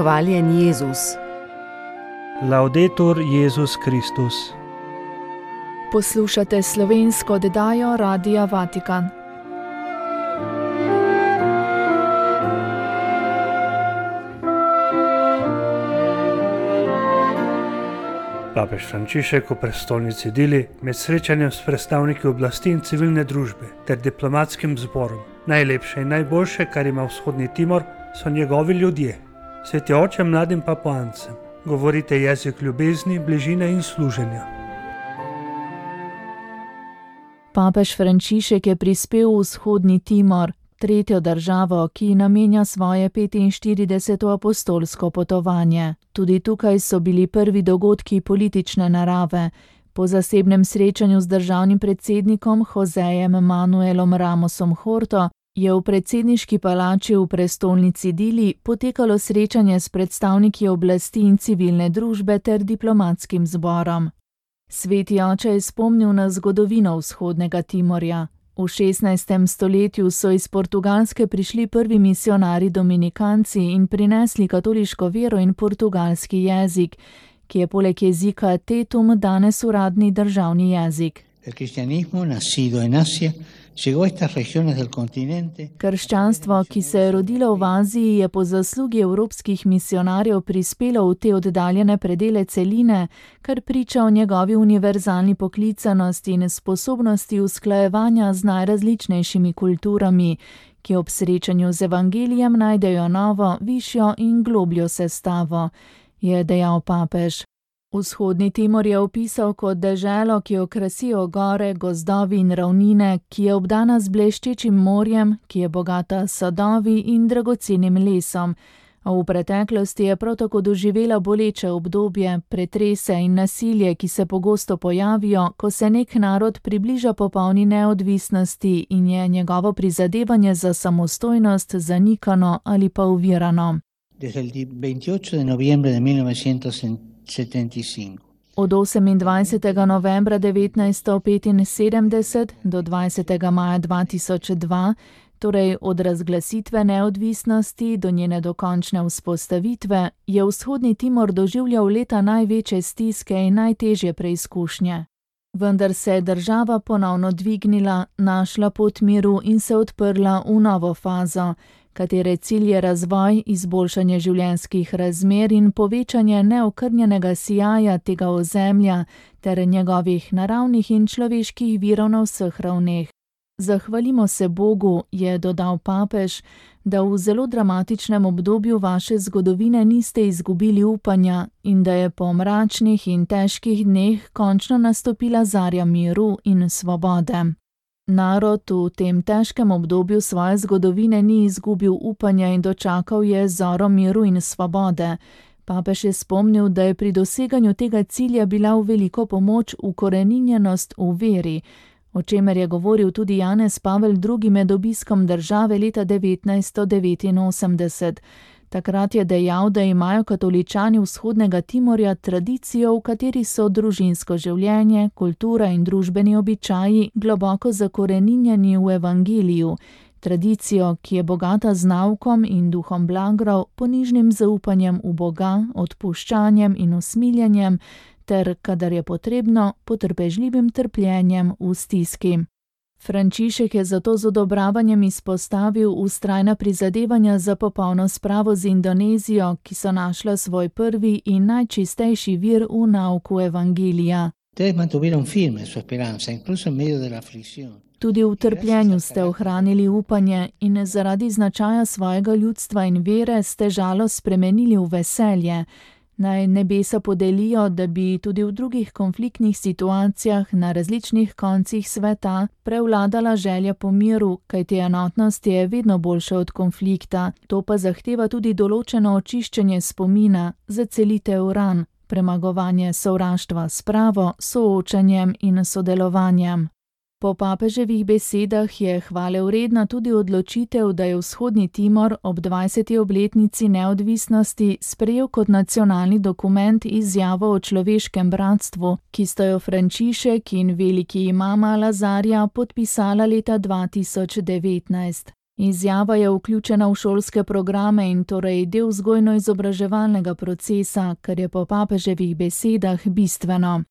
Hvaljen Jezus. Laudetur Jezus Kristus. Poslušate slovensko oddajo Radia Vatikan. Papež Frančišek v prestolnici Dili med srečanjem s predstavniki oblasti in civilne družbe ter diplomatskim zborom. Najlepše in najboljše, kar ima vzhodni Timor, so njegovi ljudje. Sveti oče mladim Papuancem, govorite jezik ljubezni, bližine in služenja. Papež Frančišek je prispel v vzhodni Timor, tretjo državo, ki namenja svoje 45. apostolsko potovanje. Tudi tukaj so bili prvi dogodki politične narave. Po zasebnem srečanju z državnim predsednikom Josejem Manuelom Ramosom Horto je v predsedniški palači v prestolnici Dili potekalo srečanje s predstavniki oblasti in civilne družbe ter diplomatskim zborom. Sveti oče je spomnil na zgodovino vzhodnega Timorja. V 16. stoletju so iz Portugalske prišli prvi misijonarji dominikanci in prinesli katoliško vero in portugalski jezik, ki je poleg jezika tetum danes uradni državni jezik. Krščanstvo, ki se je rodilo v Aziji, je po zaslugi evropskih misijonarjev prispelo v te oddaljene predele celine, kar priča o njegovi univerzalni poklicanosti in sposobnosti usklajevanja z najrazličnejšimi kulturami, ki ob srečanju z evangelijem najdejo novo, višjo in globljo sestavo, je dejal papež. Vzhodni Timor je opisal kot deželo, ki jo krasijo gore, gozdovi in ravnine, ki je obdana z bleščečim morjem, ki je bogata s sadovi in dragocenim lesom. A v preteklosti je prav tako doživela boleče obdobje, pretrese in nasilje, ki se pogosto pojavijo, ko se nek narod približa popolni neodvisnosti in je njegovo prizadevanje za samostojnost zanikano ali pa ovirano. Od 28. novembra 1975 do 20. maja 2002, torej od razglasitve neodvisnosti do njene dokončne vzpostavitve, je vzhodni Timor doživljal leta največje stiske in najtežje preizkušnje. Vendar se je država ponovno dvignila, našla pot miru in se odprla v novo fazo, katere cilj je razvoj, izboljšanje življenjskih razmer in povečanje neokrnjenega sijaja tega ozemlja ter njegovih naravnih in človeških virov na vseh ravneh. Zahvalimo se Bogu, je dodal papež, da v zelo dramatičnem obdobju vaše zgodovine niste izgubili upanja in da je po mračnih in težkih dneh končno nastopila zarja miru in svobode. Narod v tem težkem obdobju svoje zgodovine ni izgubil upanja in dočakal je zoro miru in svobode. Papež je spomnil, da je pri doseganju tega cilja bila v veliko pomoč ukoreninjenost v veri, o čemer je govoril tudi Janez Pavel II. Med obiskom države leta 1989. Takrat je dejal, da imajo katoličani vzhodnega Timorja tradicijo, v kateri so družinsko življenje, kultura in družbeni običaji globoko zakoreninjeni v evangeliju, tradicijo, ki je bogata z naukom in duhom blagrov, ponižnim zaupanjem v Boga, odpuščanjem in usmiljenjem, ter, kadar je potrebno, potrpežljivim trpljenjem v stiski. Frančišek je zato z odobravanjem izpostavil vztrajna prizadevanja za popolno spravo z Indonezijo, ki so našla svoj prvi in najčistejši vir v nauku evangelija. Tudi v trpljenju ste ohranili upanje in zaradi značaja svojega ljudstva in vere ste žalost spremenili v veselje. Naj nebesa podelijo, da bi tudi v drugih konfliktnih situacijah na različnih koncih sveta prevladala želja po miru, kajti enotnost je vedno boljša od konflikta. To pa zahteva tudi določeno očiščenje spomina, zacelitev ran, premagovanje sovraštva s pravo, soočanjem in sodelovanjem. Po papeževih besedah je hvalevredna tudi odločitev, da je vzhodni Timor ob 20. obletnici neodvisnosti sprejel kot nacionalni dokument izjavo o človeškem bratstvu, ki sta jo Frančišek in veliki imam Al-Azharja podpisala leta 2019. Izjava je vključena v šolske programe in torej del vzgojno-izobraževalnega procesa, kar je po papeževih besedah bistveno.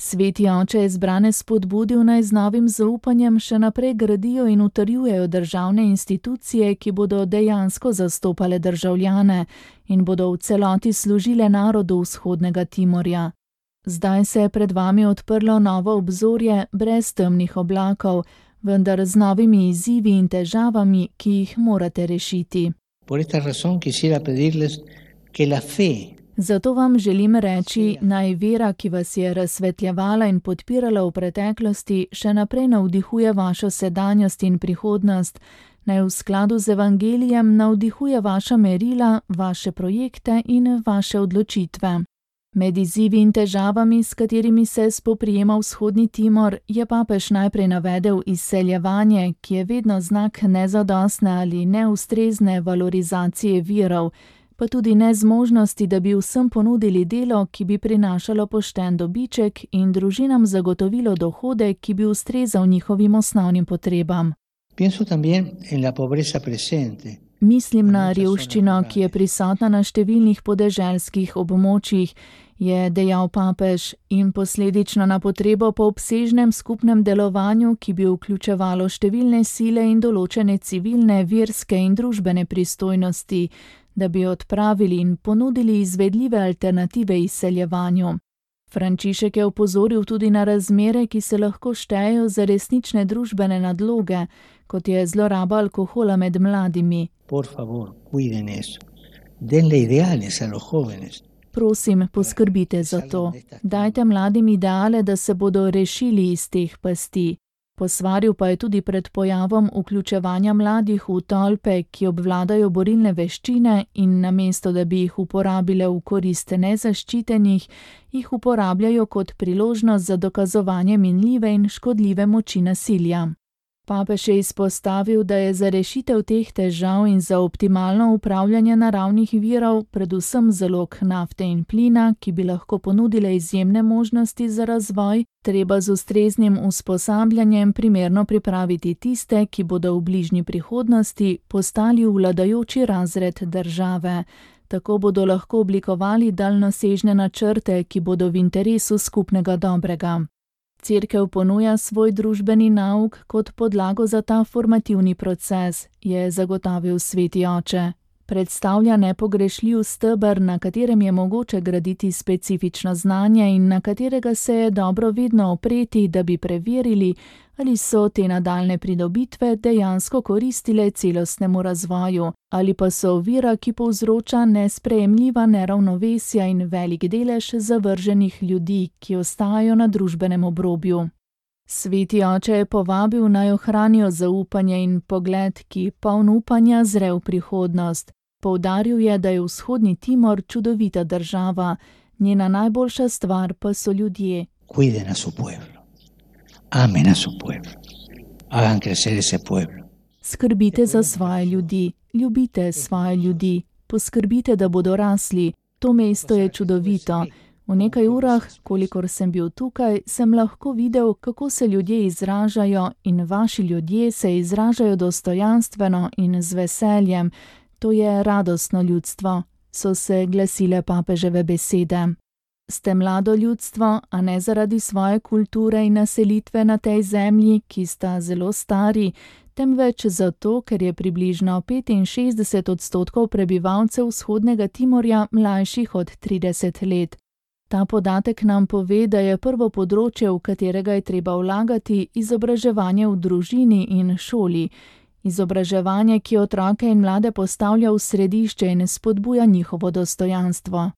Sveti oče je zbrane spodbudil, naj z novim zaupanjem še naprej gradijo in utrjujejo državne institucije, ki bodo dejansko zastopale državljane in bodo v celoti služile narodu Vzhodnega Timorja. Zdaj se je pred vami odprlo novo obzorje brez temnih oblakov, vendar z novimi izzivi in težavami, ki jih morate rešiti. Por esta razón quisiera pedirles que la fe Zato vam želim reči, naj vera, ki vas je razsvetljevala in podpirala v preteklosti, še naprej navdihuje vašo sedanjost in prihodnost, naj v skladu z evangelijem navdihuje vaša merila, vaše projekte in vaše odločitve. Med izzivi in težavami, s katerimi se spoprijema Vzhodni Timor, je papež najprej navedel izseljevanje, ki je vedno znak nezadostne ali neustrezne valorizacije virov, pa tudi nezmožnosti, da bi vsem ponudili delo, ki bi prinašalo pošten dobiček in družinam zagotovilo dohodek, ki bi ustrezal njihovim osnovnim potrebam. Pienso también en la pobreza presente. Mislim na revščino, ki je prisotna na številnih podeželskih območjih, je dejal papež, in posledično na potrebo po obsežnem skupnem delovanju, ki bi vključevalo številne sile in določene civilne, verske in družbene pristojnosti, da bi odpravili in ponudili izvedljive alternative izseljevanju. Frančišek je opozoril tudi na razmere, ki se lahko štejejo za resnične družbene nadloge, kot je zloraba alkohola med mladimi. Por favor, cuiden eso. Denle ideales a los jóvenes. Prosim, poskrbite za to. Dajte mladim ideale, da se bodo rešili iz teh pasti. Posvaril pa je tudi pred pojavom vključevanja mladih v tolpe, ki obvladajo borilne veščine in namesto, da bi jih uporabile v korist nezaščitenih, jih uporabljajo kot priložnost za dokazovanje minljive in škodljive moči nasilja. Papež je izpostavil, da je za rešitev teh težav in za optimalno upravljanje naravnih virov, predvsem zalog nafte in plina, ki bi lahko ponudile izjemne možnosti za razvoj, treba z ustreznim usposabljanjem primerno pripraviti tiste, ki bodo v bližnji prihodnosti postali vladajoči razred države. Tako bodo lahko oblikovali daljnosežne načrte, ki bodo v interesu skupnega dobrega. Cerkev ponuja svoj družbeni nauk kot podlago za ta formativni proces, je zagotovil sveti oče. Predstavlja nepogrešljiv steber, na katerem je mogoče graditi specifično znanje in na katerega se je dobro vedno opreti, da bi preverili, ali so te nadaljne pridobitve dejansko koristile celostnemu razvoju, ali pa so ovira, ki povzroča nesprejemljiva neravnovesja in velik delež zavrženih ljudi, ki ostajajo na družbenem obrobju. Sveti oče je povabil, naj ohranijo zaupanje in pogled, ki poln upanja zre v prihodnost. Poudaril je, da je Vzhodni Timor čudovita država, njena najboljša stvar pa so ljudje. Cuiden a su pueblo. Amen a su pueblo. Hagan crecer ese pueblo. Skrbite za svoje ljudi, ljubite svoje ljudi, poskrbite, da bodo rasli. To mesto je čudovito. V nekaj urah, kolikor sem bil tukaj, sem lahko videl, kako se ljudje izražajo in vaši ljudje se izražajo dostojanstveno in z veseljem. To je radostno ljudstvo, so se glasile papeževe besede. Ste mlado ljudstvo, a ne zaradi svoje kulture in naselitve na tej zemlji, ki sta zelo stari, temveč zato, ker je približno 65% prebivalcev Vzhodnega Timorja mlajših od 30 let. Ta podatek nam pove, da je prvo področje, v katerega je treba vlagati, izobraževanje v družini in šoli. Izobraževanje, ki otroke in mlade postavlja v središče in spodbuja njihovo dostojanstvo.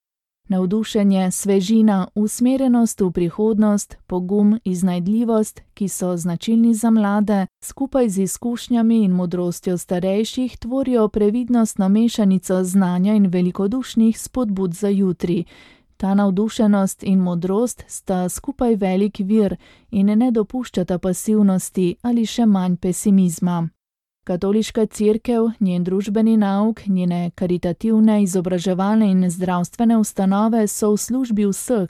Navdušenje, svežina, usmerjenost v prihodnost, pogum, iznajdljivost, ki so značilni za mlade, skupaj z izkušnjami in modrostjo starejših tvorijo previdnostno mešanico znanja in velikodušnih spodbud za jutri. Ta navdušenost in modrost sta skupaj velik vir in ne dopuščata pasivnosti ali še manj pesimizma. Katoliška cerkev, njen družbeni nauk, njene karitativne, izobraževalne in zdravstvene ustanove so v službi vseh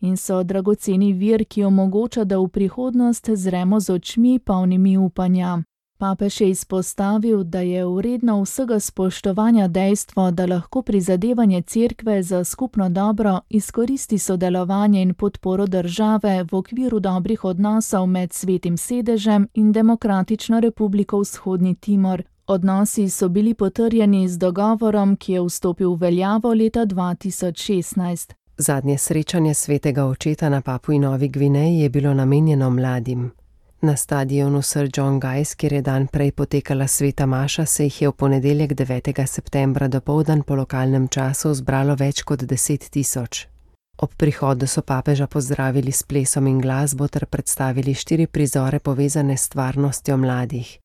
in so dragoceni vir, ki omogoča, da v prihodnost zremo z očmi polnimi upanja. Papež je izpostavil, da je vredno vsega spoštovanja dejstvo, da lahko prizadevanje Cerkve za skupno dobro izkoristi sodelovanje in podporo države v okviru dobrih odnosov med Svetim sedežem in Demokratično republiko Vzhodni Timor. Odnosi so bili potrjeni z dogovorom, ki je vstopil v veljavo leta 2016. Zadnje srečanje svetega očeta na Papui Novi Gvineji je bilo namenjeno mladim. Na stadionu Sir John Guy's, kjer je dan prej potekala sveta maša, se jih je v ponedeljek 9. septembra dopoldan po lokalnem času zbralo več kot 10 000. Ob prihodu so papeža pozdravili s plesom in glasbo ter predstavili 4 prizore povezane s stvarnostjo mladih.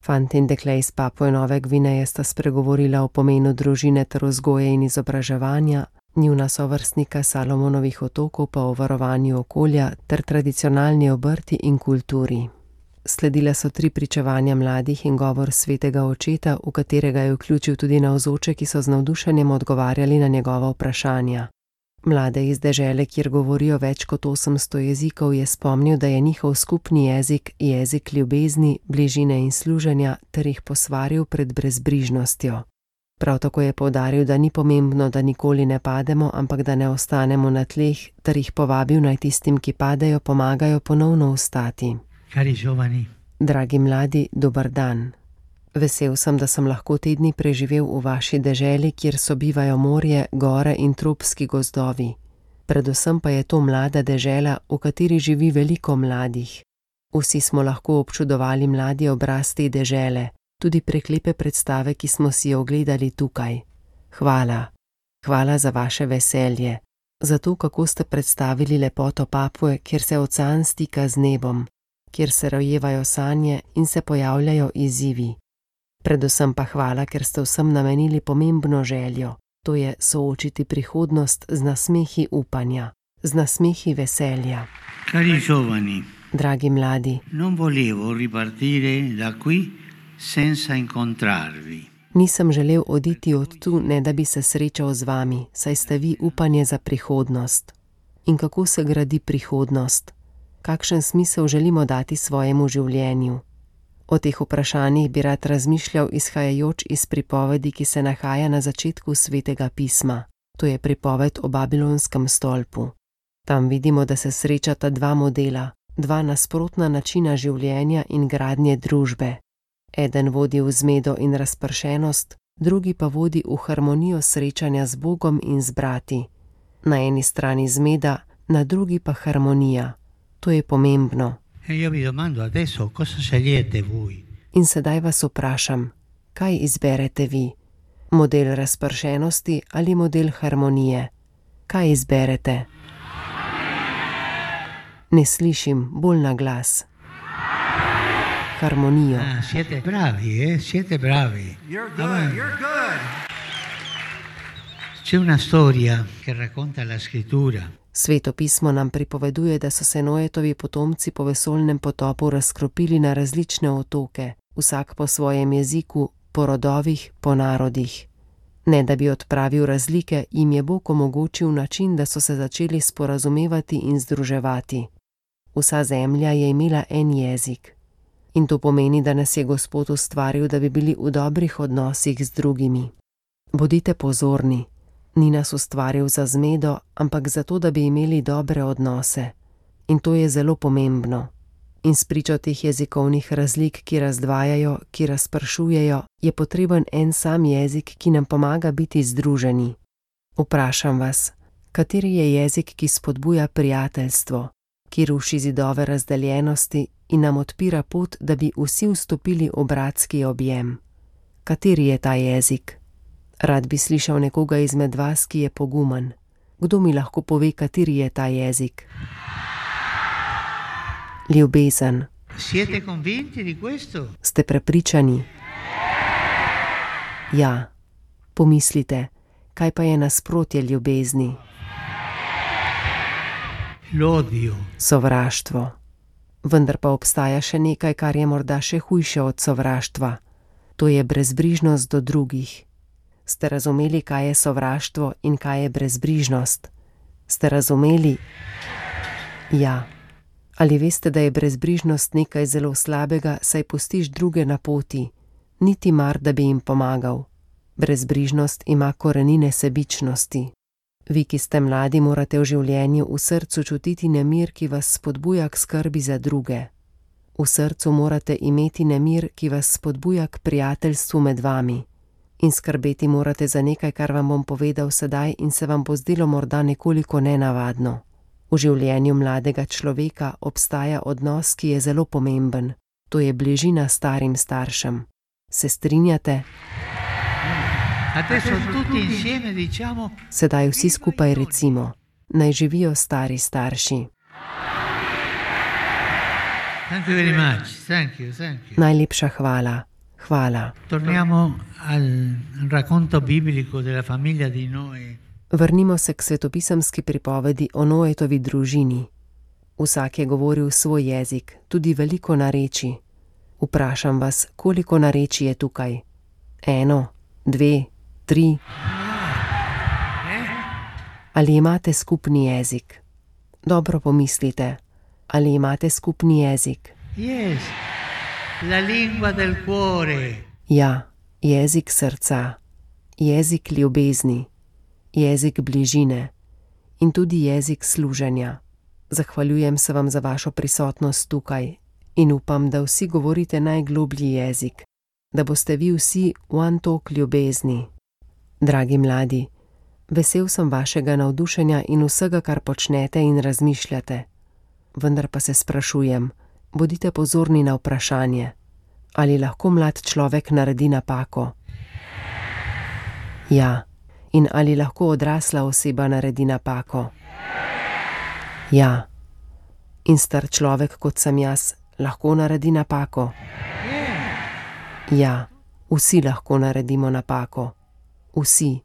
Fant in dekle iz Papue Nove Gvineje sta spregovorila o pomenu družine ter vzgoje in izobraževanja, njuna sovrstnika Salomonovih otokov pa o varovanju okolja ter tradicionalni obrti in kulturi. Sledila so 3 pričevanja mladih in govor svetega očeta, v katerega je vključil tudi navzoče, ki so z navdušenjem odgovarjali na njegova vprašanja. Mlade iz dežele, kjer govorijo več kot 800 jezikov, je spomnil, da je njihov skupni jezik jezik ljubezni, bližine in služenja ter jih posvaril pred brezbrižnostjo. Prav tako je poudaril, da ni pomembno, da nikoli ne pademo, ampak da ne ostanemo na tleh, ter jih povabil naj tistim, ki padejo, pomagajo ponovno vstati. Cari giovani. Dragi mladi, dober dan. Vesel sem, da sem lahko te dni preživel v vaši deželi, kjer sobivajo morje, gore in tropski gozdovi. Predvsem pa je to mlada dežela, v kateri živi veliko mladih. Vsi smo lahko občudovali mladi obraz te dežele, tudi prek lepe predstave, ki smo si jo ogledali tukaj. Hvala. Hvala za vaše veselje, za to, kako ste predstavili lepoto Papue, kjer se ocean stika z nebom, kjer se rojevajo sanje in se pojavljajo izzivi. Predvsem pa hvala, ker ste vsem namenili pomembno željo, to je soočiti prihodnost z nasmehi upanja, z nasmehi veselja. Cari giovani. Dragi mladi. Non volevo ripartire da qui senza incontrarvi. Nisem želel oditi od tu, ne da bi se srečal z vami, saj ste vi upanje za prihodnost. In kako se gradi prihodnost? Kakšen smisel želimo dati svojemu življenju? O teh vprašanjih bi rad razmišljal izhajajoč iz pripovedi, ki se nahaja na začetku Svetega pisma. To je pripoved o Babilonskem stolpu. Tam vidimo, da se srečata 2 modela, 2 nasprotna načina življenja in gradnje družbe. Eden vodi v zmedo in razpršenost, drugi pa vodi v harmonijo srečanja z Bogom in z brati. Na eni strani zmeda, na drugi pa harmonija. To je pomembno. Io vi domando adesso cosa scegliete voi? In sedaj vas vprašam, kaj izberete vi? Model razpršenosti ali model harmonije? Kaj izberete? Ne slišim, bolj na glas. Harmonijo. Siete bravi, siete bravi. You're good, you're good. C'è una storia che racconta la scrittura. Sveto pismo nam pripoveduje, da so se Noetovi potomci po vesoljnem potopu razkropili na različne otoke, vsak po svojem jeziku, po rodovih, po narodih. Ne da bi odpravil razlike, jim je Bog omogočil način, da so se začeli sporazumevati in združevati. Vsa zemlja je imela en jezik. In to pomeni, da nas je Gospod ustvaril, da bi bili v dobrih odnosih z drugimi. Bodite pozorni. Ni nas ustvaril za zmedo, ampak zato, da bi imeli dobre odnose. In to je zelo pomembno. In spričo teh jezikovnih razlik, ki razdvajajo, ki razpršujejo, je potreben en sam jezik, ki nam pomaga biti združeni. Vprašam vas, kateri je jezik, ki spodbuja prijateljstvo, ki ruši zidove razdeljenosti in nam odpira pot, da bi vsi vstopili v bratski objem? Kateri je ta jezik? Rad bi slišal nekoga izmed vas, ki je pogumen. Kdo mi lahko pove, kateri je ta jezik? Ljubezen. Siete convinti di questo? Ste prepričani? Ja. Pomislite, kaj pa je nasprotje ljubezni? L'odio. Sovraštvo. Vendar pa obstaja še nekaj, kar je morda še hujše od sovraštva. To je brezbrižnost do drugih. Ste razumeli, kaj je sovraštvo in kaj je brezbrižnost? Ste razumeli? Ja. Ali veste, da je brezbrižnost nekaj zelo slabega, saj pustiš druge na poti, niti mar, da bi jim pomagal. Brezbrižnost ima korenine sebičnosti. Vi, ki ste mladi, morate v življenju v srcu čutiti nemir, ki vas spodbuja k skrbi za druge. V srcu morate imeti nemir, ki vas spodbuja k prijateljstvu med vami. In skrbeti morate za nekaj, kar vam bom povedal sedaj in se vam bo zdelo morda nekoliko nenavadno. V življenju mladega človeka obstaja odnos, ki je zelo pomemben. To je bližina starim staršem. Se strinjate? Sedaj vsi skupaj recimo: naj živijo stari starši. Najlepša hvala. Hvala. Vrnimo se k svetopisemski pripovedi o Noetovi družini. Vsak je govoril svoj jezik, tudi veliko narečij. Vprašam vas, koliko narečij je tukaj? 1, 2, 3? Ali imate skupni jezik? Dobro pomislite. Ali imate skupni jezik? Yes, la lingua del cuore. Ja, jezik srca, jezik ljubezni, jezik bližine in tudi jezik služenja. Zahvaljujem se vam za vašo prisotnost tukaj in upam, da vsi govorite najgloblji jezik, da boste vi vsi one tok ljubezni. Dragi mladi, vesel sem vašega navdušenja in vsega, kar počnete in razmišljate. Vendar pa se sprašujem, bodite pozorni na vprašanje, ali lahko mlad človek naredi napako? Ja. In ali lahko odrasla oseba naredi napako? Ja. In star človek, kot sem jaz, lahko naredi napako? Ja. Vsi lahko naredimo napako. Vsi.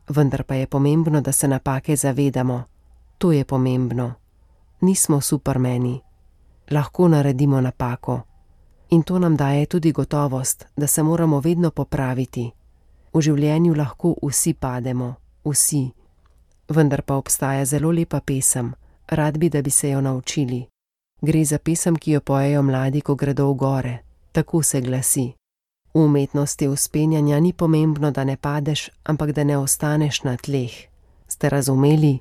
Vendar pa je pomembno, da se napake zavedamo. To je pomembno. Nismo supermeni. Lahko naredimo napako. In to nam daje tudi gotovost, da se moramo vedno popraviti. V življenju lahko vsi pademo, vsi. Vendar pa obstaja zelo lepa pesem, rad bi, da bi se jo naučili. Gre za pesem, ki jo pojejo mladi, ko gredo v gore. Tako se glasi: v umetnosti vzpenjanja ni pomembno, da ne padeš, ampak da ne ostaneš na tleh. Ste razumeli?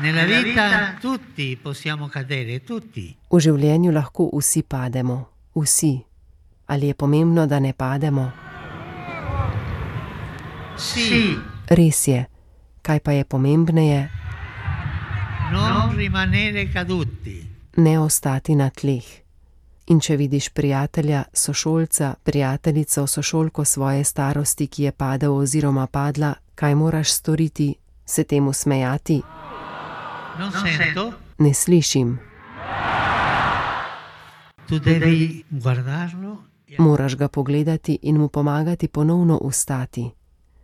Nella vita tutti possiamo cadere, tutti. V življenju lahko vsi pademo, vsi. Ali je pomembno, da ne pademo? Sì. Res je. Kaj pa je pomembneje? Non rimanere caduti. Ne ostati na tleh. In če vidiš prijatelja, sošolca, prijateljico, sošolko svoje starosti, ki je padel oziroma padla, kaj moraš storiti? Se temu smejati? Non sento. Ne slišim. Tu devi guardarlo. Moraš ga pogledati in mu pomagati ponovno vstati.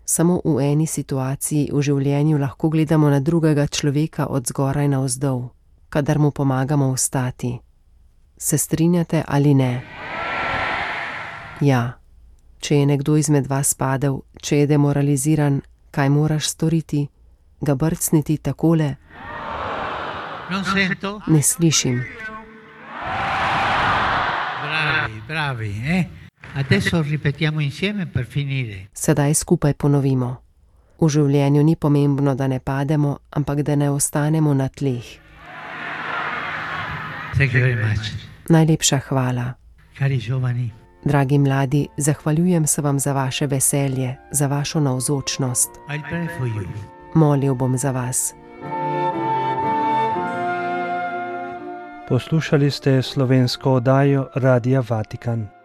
Samo v eni situaciji v življenju lahko gledamo na drugega človeka od zgoraj navzdol, kadar mu pomagamo vstati. Se strinjate ali ne? Ja. Če je nekdo izmed vas padel, če je demoraliziran, kaj moraš storiti? Ga brcniti takole? Non sento. Ne slišim. Bravi, Adesso ripetiamo insieme per finire. Sedaj skupaj ponovimo. V življenju ni pomembno, da ne pademo, ampak da ne ostanemo na tleh. Thank you very much. Najlepša hvala. Cari giovani. Dragi mladi, zahvaljujem se vam za vaše veselje, za vašo navzočnost. I'll pray for you. Molil bom za vas. Poslušali ste slovensko oddajo Radia Vatikan.